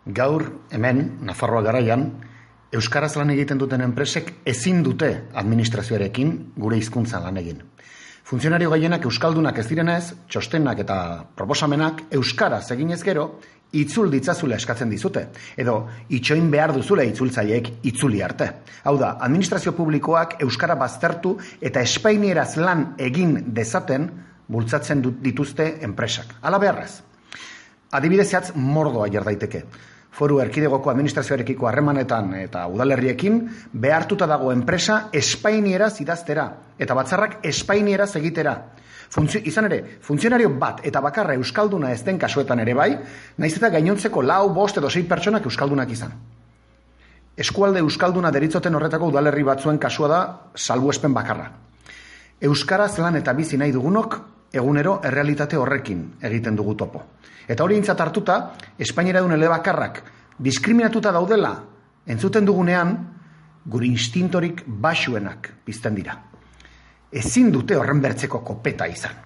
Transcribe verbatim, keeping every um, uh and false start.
Gaur, hemen, Nafarroa garaian, euskaraz lan egiten duten enpresek ezin dute administrazioarekin gure hizkuntzan lan egin. Funtzionario gehienak euskaldunak ez direnez, txostenak eta proposamenak euskaraz eginez gero, itzul ditzazula eskatzen dizute, edo itxoin behar duzule itzultzaileek itzuli arte. Hau da, administrazio publikoak euskara baztertu eta espainieraz lan egin dezaten bultzatzen dituzte enpresak. Hala beharrez. Adibidez zehatz mordoa jar daiteke. Foru erkidegoko administrazioarekiko harremanetan eta udalerriekin behartuta dago enpresa espainieraz idaztera eta batzarrak espainieraz egitera. Funtzio, izan ere, funtzionario bat eta bakarra euskalduna ez den kasuetan ere bai, naiz eta gainontzeko lau, bost edo sei pertsonak euskaldunak izan. Eskualde euskalduna deritzoten horretako udalerri batzuen kasua da salbuespen bakarra. Euskaraz lan eta bizi nahi dugunok egunero errealitate horrekin egiten dugu topo. Eta hori aintzat hartuta, Espainiara duen elebakarrak diskriminatuta daudela entzuten dugunean, gure instintorik baxuenak pizten dira. Ezin dute horren bertzeko kopeta izan.